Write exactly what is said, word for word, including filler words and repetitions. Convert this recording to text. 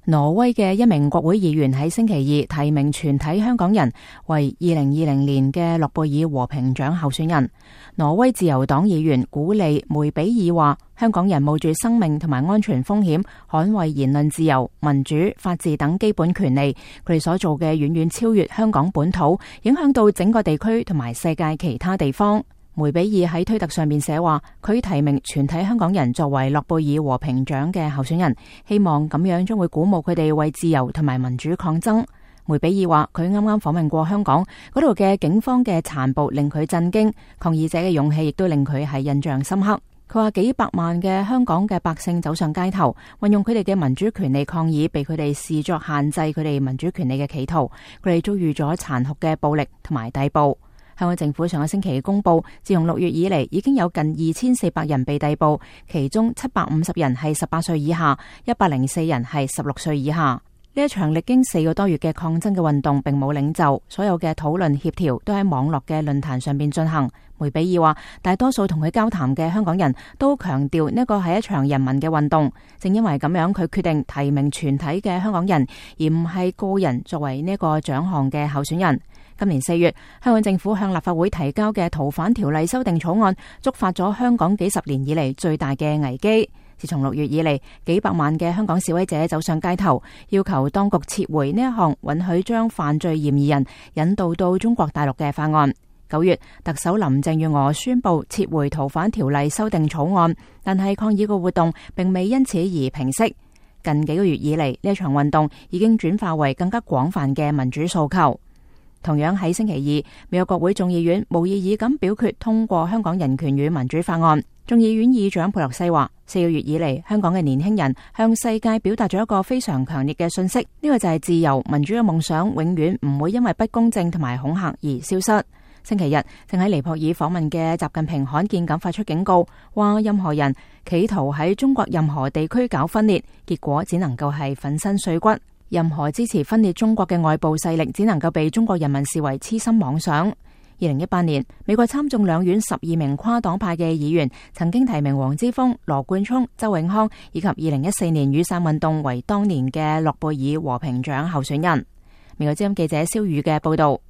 挪威嘅一名國會議員喺星期二提名全體香港人為二零二零年嘅諾貝爾和平獎候選人。挪威自由黨議員古利梅比爾話，香港人冒住生命同埋安全風險捍衛言論自由、民主、法治等基本權利，佢哋所做嘅遠遠超越香港本土，影響到整個地區同埋世界其他地方。梅比爾喺推特上面寫話，佢提名全體香港人作為諾貝爾和平獎嘅候選人，希望咁樣將會鼓舞佢哋為自由同埋民主抗爭。梅比爾話，佢啱啱訪問過香港，嗰度嘅警方嘅殘暴令佢震驚，抗議者嘅勇氣亦都令佢係印象深刻。佢話幾百萬嘅香港嘅百姓走上街頭，運用佢哋嘅民主權利抗議被佢哋視作限制佢哋民主權利嘅企圖，佢哋遭遇咗殘酷嘅暴力同埋逮捕。香港政府上個星期公布，自從六月以嚟，已經有近二千四百人被逮捕，其中七百五十人係十八歲以下，一百零四人係十六歲以下。呢一場歷經四個多月嘅抗爭嘅運動並冇領袖，所有嘅討論協調都喺網絡嘅論壇上邊進行。梅比爾話，大多數同佢交談嘅香港人都強調呢個係一場人民嘅運動，正因為咁樣，佢決定提名全體嘅香港人，而唔係個人作為呢個獎項嘅候選人。今年四月，香港政府向立法會提交嘅逃犯條例修訂草案，觸發咗香港幾十年以嚟最大嘅危機。自從六月以嚟，幾百萬嘅香港示威者走上街頭，要求當局撤回呢一項允許將犯罪嫌疑人引渡到中國大陸嘅法案。九月，特首林鄭月娥宣布撤回逃犯條例修訂草案，但係抗議嘅活動並未因此而平息。近幾個月以嚟，呢一場運動已經轉化為更加廣泛嘅民主訴求。同樣喺星期二，美國國會眾議院無異議咁表決通過香港人權與民主法案。眾議院議長佩洛西話，四個月以嚟，香港嘅年輕人向世界表達咗一個非常強烈嘅訊息，呢個就係自由民主嘅夢想永遠唔會因為不公正同埋恐嚇而消失。星期日正喺尼泊爾訪問嘅習近平罕見咁發出警告，話任何人企圖喺中國任何地區搞分裂，結果只能夠係粉身碎骨。任何支持分裂中國嘅外部勢力，只能夠被中國人民視為痴心妄想。二零一八年，美國參眾兩院十二名跨黨派嘅議員曾經提名黃之鋒、羅冠聰、周永康以及二零一四年雨傘運動為當年嘅諾貝爾和平獎候選人。美國之音記者蕭宇嘅報道。